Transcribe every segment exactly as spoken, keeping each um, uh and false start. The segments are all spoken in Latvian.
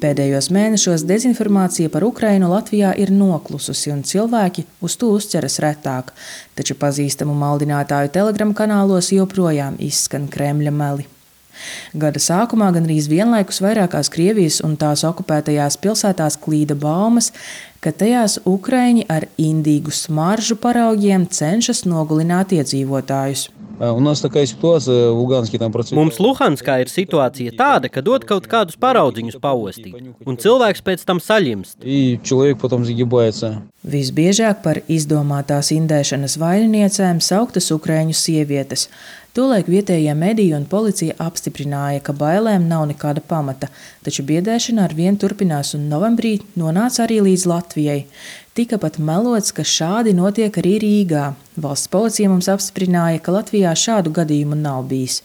Pēdējos mēnešos dezinformācija par Ukrainu Latvijā ir noklususi un cilvēki uz to uzķeras retāk, taču pazīstamu maldinātāju telegram kanālos joprojām izskan Kremļa meli. Gada sākumā gandrīz vienlaikus vairākās Krievijas un tās okupētajās pilsētās klīda baumas, ka tajās Ukraiņi ar indīgu smaržu paraugiem cenšas nogalināt iedzīvotājus. Mums Luhanskā ir situācija tāda, ka dod kaut kādus paraudziņus paostīt, un cilvēks pēc tam saļimst. Visbiežāk par izdomātās indēšanas vaininiecēm sauktas ukraiņu sievietes. Tolaik vietējie mediji un policija apstiprināja, ka bailēm nav nekāda pamata, taču biedēšana ar vien turpinās un novembrī nonāca arī līdz Latvijai. Tika pat melots, ka šādi notiek arī Rīgā. Valsts policija mums apstiprināja, ka Latvijā šādu gadījumu nav bijis.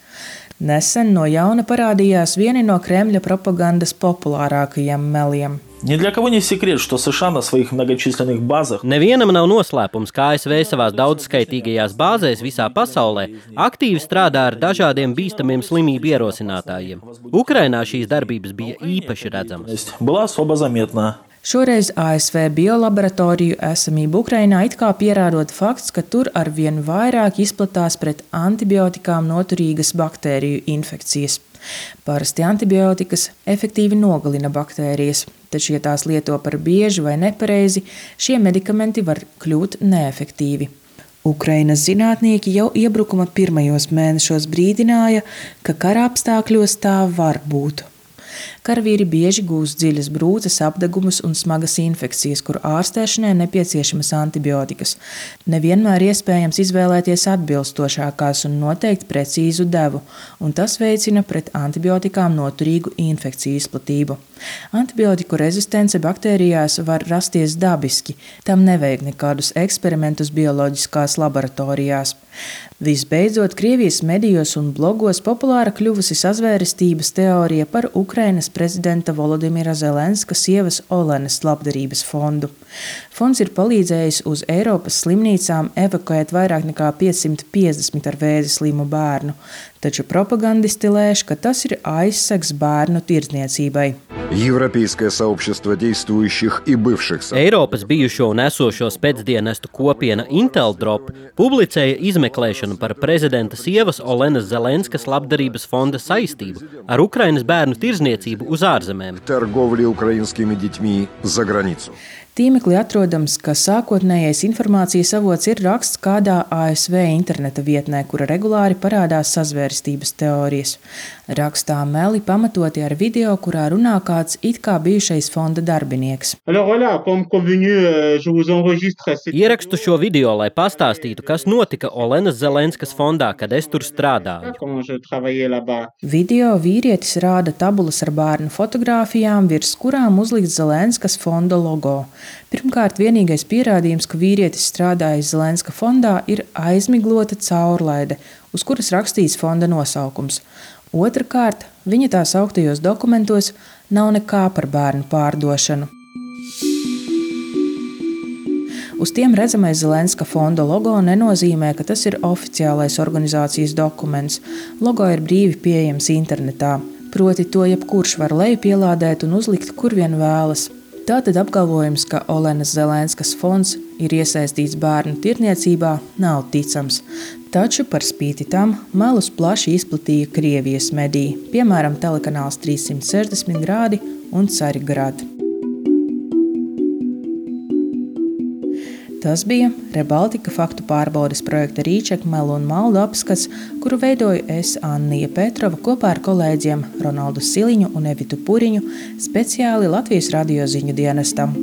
Nesen no jauna parādījās vieni no Kremļa propagandas populārākajiem meliem. Ни для кого не секрет, что США на своих многочисленных базах Nevienam nav noslēpums, ka A S V savās daudzskaitīgajās bāzēs visā pasaulē aktīvi strādā ar dažādiem bīstamiem slimību ierosinātājiem. Ukrainā šīs darbības bija īpaši redzamas. была особо заметна. Šoreiz A S V biolaboratoriju esamību Ukrainā it kā pierādot fakts, ka tur arvien vairāk izplatās pret antibiotikām noturīgas baktēriju infekcijas. Parasti antibiotikas efektīvi nogalina baktērijas, taču, ja tās lieto par bieži vai nepareizi, šie medikamenti var kļūt neefektīvi. Ukrainas zinātnieki jau iebrukuma pirmajos mēnešos brīdināja, ka kara apstākļos tā var būt. Karavīri bieži gūst dziļas brūces, apdegumus un smagas infekcijas, kur ārstēšanai nepieciešamas antibiotikas. Nevienmēr iespējams izvēlēties atbilstošākās un noteikt precīzu devu, un tas veicina pret antibiotikām noturīgu infekciju izplatību. Antibiotiku rezistence baktērijās var rasties dabiski, tam nevajag nekādus eksperimentus bioloģiskās laboratorijās. Visbeidzot, Krievijas medijos un blogos populāra kļuvusi sazvērestības teorija par Ukrainas prezidenta Volodimira Zelenska sievas Olenas labdarības fondu. Fonds ir palīdzējis uz Eiropas slimnīcām evakuēt vairāk nekā piecsimt piecdesmit ar vēzi slimu bērnu, taču propagandisti lēš, ka tas ir aizsegs bērnu tirdzniecībai. Eiropas bijušo un esošo spēcdienestu kopiena Inteldrop publicēja izmeklēšanu par prezidenta sievas Olenas Zelenskas labdarības fonda saistību ar Ukrainas bērnu tirdzniecību uz ārzemēm. Tīmeklī atrodams, ka sākotnējais informācijas avots ir raksts kādā A S V interneta vietnē, kura regulāri parādās sazvērstības teorijas. Rakstā meli pamatoti ar video, kurā runā kāds it kā bijušais fonda darbinieks. Ierakstu šo video, lai pastāstītu, kas notika Olenas Zelenskas fondā, kad es tur strādāju. Video vīrietis rāda tabulas ar bērnu fotogrāfijām, virs kurām uzlikts Zelenskas fonda logo. Pirmkārt, vienīgais pierādījums, ka vīrietis strādājis Zelenska fondā, ir aizmiglota caurlaide, uz kuras rakstīts fonda nosaukums. Otrakārt, viņa tā sauktajos dokumentos nav nekā par bērnu pārdošanu. Uz tiem redzamais Zelenska fonda logo nenozīmē, ka tas ir oficiālais organizācijas dokuments. Logo ir brīvi pieejams internetā, proti to jebkurš var lejupielādēt un uzlikt, kur vien vēlas. Tātad apgalvojums, ka Olenas Zelenskas fonds ir iesaistīts bērnu tirdzniecībā, nav ticams. Taču par spīti tam melus plaši izplatīja Krievijas mediji, piemēram, telekanāls trīssimt sešdesmit grādi un Carigrad. Tas bija Rebaltika faktu pārbaudes projekta Rīčeka melu un maldu apskats, kuru veidoju es, Annija Petrova, kopā ar kolēģiem Ronaldu Siliņu un Evitu Puriņu, speciāli Latvijas radio ziņu dienestam.